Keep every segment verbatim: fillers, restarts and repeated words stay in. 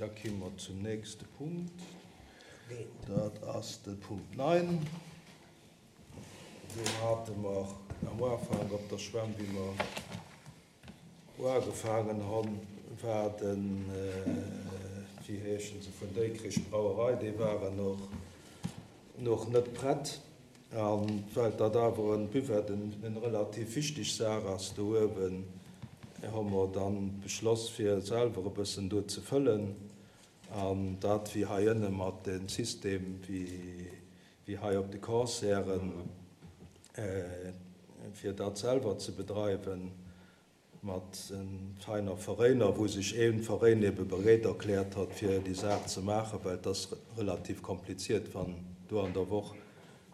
Da komme mer zum nächste Punkt. Dat ass de Punkt neun. Do hate mer am Ufank op der Schwämm, wéi mer ugefaangen hunn, war den, wéi heeschen se, vun Dikrich Brauerei, déi waren och nach net prett. A well dat awer en Buvette en relativ wichteg Saach ass do uewen, hu mer dann beschloss, fir selwer e bëssen do ze fëllen. An dat wéi hei ënne mat dem System, wéi, wéi hei op de Concerten, fir dat selwer ze bedreiwen, mat feiner Veräiner, wou sech een Veräin ebe bereet erkläert hat, fir déi Saach ze maachen, well et ass relativ kompliziert, wann do an der Woch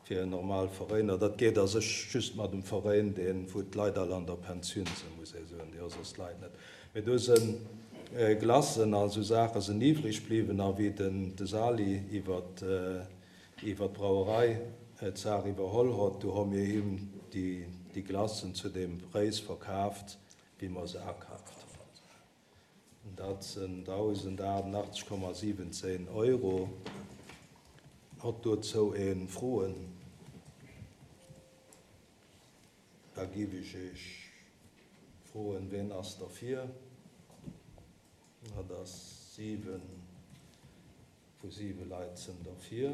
fir en normal Veräiner, dat geet a sech just mat dem Veräin, deen, wou d'Leit all an der Pensioun sinn, muss ee soen, déi hu soss d'Leit net. Mee do si Glacen a sou Saache sinn iwwreg bliwwen, a wéi den de Sali iwwer iwwer d'Brauerei d'Saach iwwerholl hott, do hu mir him déi déi Glacen zu deem Präis verkaaft, wéi mer se akaaft hunn. Dat sinn dausendaachtundachtzeg Komma siwwenzéin Euro. Hott dozou ee Froen? Da giff ech Iech froen, ween ass derfir? Dat ass siwen vu siwe Leit sinn derfir.